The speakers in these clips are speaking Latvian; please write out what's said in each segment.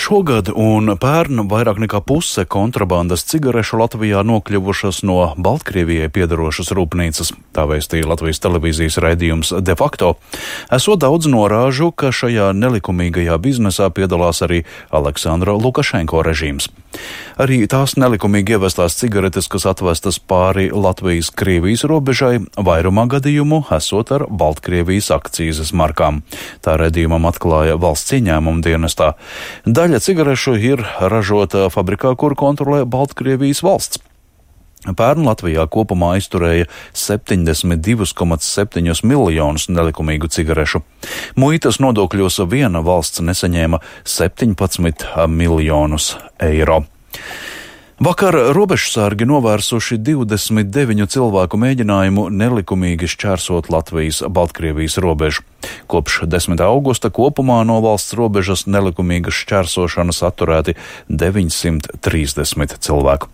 Šogad un pērn vairāk nekā puse kontrabandas cigarešu Latvijā nokļuvušas no Baltkrievijai piedarošas rūpnīcas, tā vēstīja Latvijas televīzijas raidījums De facto. Esot daudz norāžu, ka šajā nelikumīgajā biznesā piedalās arī Aleksandra Lukašenko režīms. Arī tās nelikumīgi ievestās cigaretes, kas atvestas pāri Latvijas-Krievijas robežai, vairumā gadījumu esot ar Baltkrievijas akcīzes markām. Tā raidījumam atklāja valsts ieņēmuma dienestā. Daļa cigarešu ir ražota fabrikā, kur kontrolē Baltkrievijas valsts. Pērn Latvijā kopumā aizturēja 72,7 miljonus nelikumīgu cigarešu. Muitas nodokļos viena valsts nesaņēma 17 miljonus eiro. Vakar robežsargi novērsuši 29 cilvēku mēģinājumu nelikumīgi šķērsot Latvijas-Baltkrievijas robežu. Kopš 10. augusta kopumā no valsts robežas nelikumīgas šķērsošanas atturēti 930 cilvēku.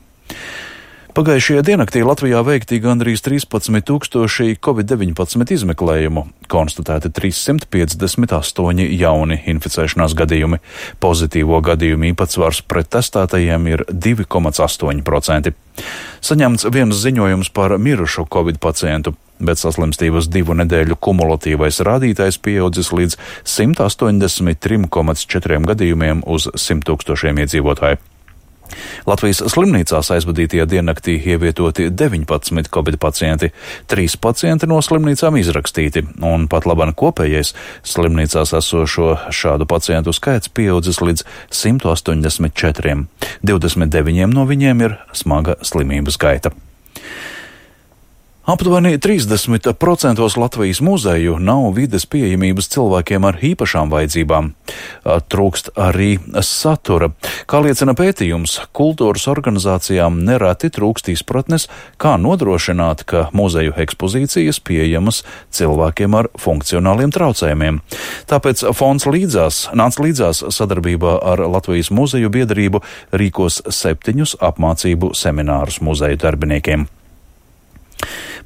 Pagājušajā diennaktī Latvijā veikti gandrīz 13,000 Covid-19 izmeklējumu, konstatēti 358 jauni inficēšanās gadījumi. Pozitīvo gadījumu īpatsvars pret testētajiem ir 2,8%. Saņemts viens ziņojums par mirušu Covid pacientu, bet saslimstības 2 nedēļu kumulatīvais rādītājs pieaudzis līdz 183,4 gadījumiem uz 100 000 iedzīvotāju. Latvijas slimnīcās aizvadītajā diennaktī ievietoti 19 Covid pacienti, 3 pacienti no slimnīcām izrakstīti, un pat labāk kopējais slimnīcās esošo šādu pacientu skaits pieaudzis līdz 184. 29 no viņiem ir smaga slimības gaita. Aptuveni 30% Latvijas muzeju nav vides pieejamības cilvēkiem ar īpašām vajadzībām. Trūkst arī satura. Kā liecina pētījums, kultūras organizācijām nereti trūkst izpratnes, kā nodrošināt, ka muzeju ekspozīcijas pieejamas cilvēkiem ar funkcionāliem traucējumiem. Tāpēc fonds nāca līdzās sadarbībā ar Latvijas muzeju biedrību rīkos 7 apmācību seminārus muzeju darbiniekiem.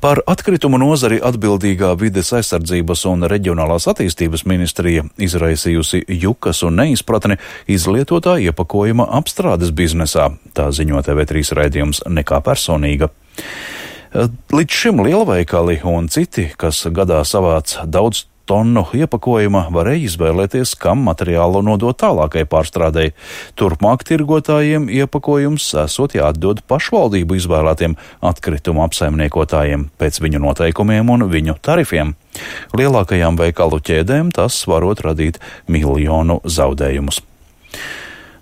Par atkritumu nozari atbildīgā vides aizsardzības un reģionālās attīstības ministrija izraisījusi jukas un neizpratni izlietotā iepakojuma apstrādes biznesā, tā ziņo TV3 raidījums Nekā personīga. Līdz šim lielveikali un citi, kas gadā savāc daudz tonu iepakojuma, varēja izvēlēties, kam materiālu nodot tālākai pārstrādei. Turpmāk tirgotājiem iepakojums esot jāatdod pašvaldību izvēlētiem atkritumu apsaimniekotājiem pēc viņu noteikumiem un viņu tarifiem. Lielākajām veikalu ķēdēm tas varot radīt miljonu zaudējumus.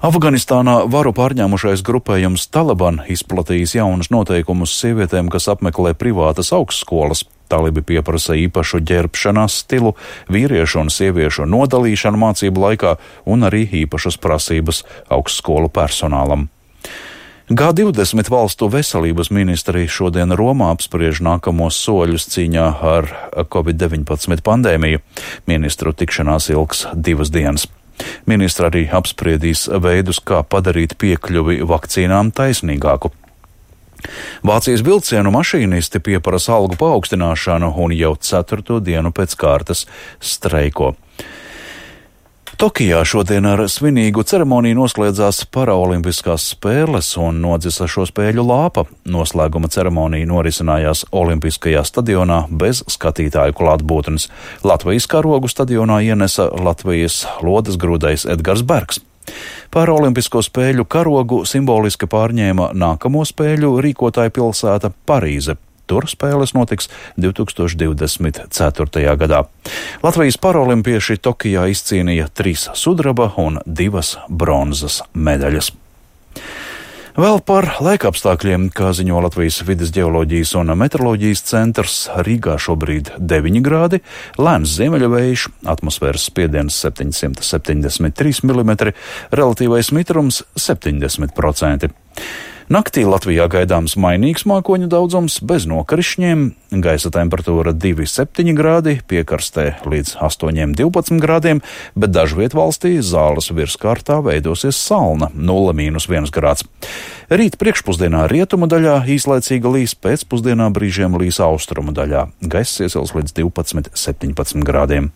Afganistānā varu pārņēmušais grupējums Taliban izplatījis jaunus noteikumus sievietēm, kas apmeklē privātas augstskolas. Talibi pieprasa īpašu ģērbšanās stilu, vīriešu un sieviešu nodalīšanu mācību laikā un arī īpašas prasības augstskolu personālam. G20 valstu veselības ministri šodien Romā apspriež nākamos soļus cīņā ar Covid-19 pandēmiju. Ministru tikšanās ilgs 2 dienas. Ministri arī apspriedīs veidus, kā padarīt piekļuvi vakcīnām taisnīgāku. Vācijas vilcienu mašīnisti pieprasa algu paaugstināšanu un jau 4. dienu pēc kārtas streiko. Tokijā šodien ar svinīgu ceremoniju noslēdzās paraolimpiskās spēles un nodzisa šo spēļu lāpa. Noslēguma ceremonija norisinājās Olimpiskajā stadionā bez skatītāju klātbūtnes. Latvijas karogu stadionā ienesa Latvijas lodes grūdais Edgars Bergs. Paraolimpisko spēļu karogu simboliski pārņēma nākamo spēļu rīkotāja pilsēta Parīze. Tur spēles notiks 2024. gadā. Latvijas paralimpieši Tokijā izcīnīja 3 sudraba un 2 bronzas medaļas. Vēl par laikapstākļiem, kā ziņo Latvijas vides ģeoloģijas un meteoroloģijas centrs, Rīgā šobrīd 9 grādi, lēns ziemeļvējš, atmosfēras spiediens 773 mm, relatīvais mitrums 70%. Naktī Latvijā gaidāms mainīgs mākoņu daudzums bez nokrišņiem, gaisa temperatūra 2,7 grādi, piekarstē līdz 8,12 grādiem, bet dažviet valstī zāles virskārtā veidosies salna 0,1 grāds. Rīt priekšpusdienā rietumu daļā īslaicīga līs, pēcpusdienā brīžiem līs austrumu daļā. Gaiss iesils līdz 12,17 grādiem.